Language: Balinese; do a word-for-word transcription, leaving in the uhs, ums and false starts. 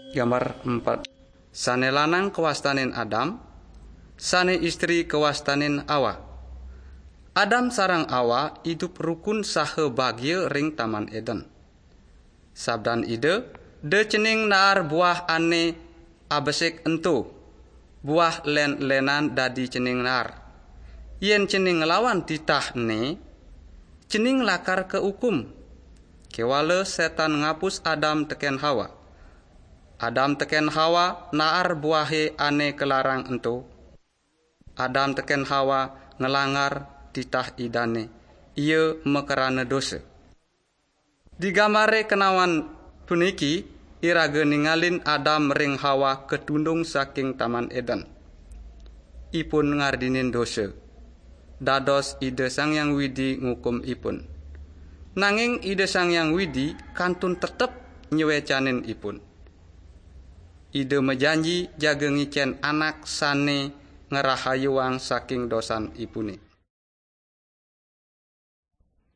Gambar empat. Sane lanang kawastanin Adam, sane istri kawastanin Awa. Adam sareng Awa idup rukun saha bagia ring Taman Eden. Sabdan Ida, "Da cening naar buah ane abesik ento, buah len-lenan dadi cening naar. Yen cening nglawan titah ene, cening lakar kaukum." Kewala Setan ngapus Adam teken Hawa. Adam teken Hawa naar buahe ane kalarang ento. Adam teken Hawa nglanggar titah Idane, ia makrana dosa. Di gambare kenawan puniki, iraga ningalin Adam ring Hawa katundung saking Taman Eden. Ipun ngardinin dosa. Dados Ida Sang Hyang Widi ngukum ipun. Nanging Ida Sang Hyang Widi kantun tetep nyewecanin ipun. Ida majanji jaga ngicen anak sane ngrahayuang saking dosan ipune.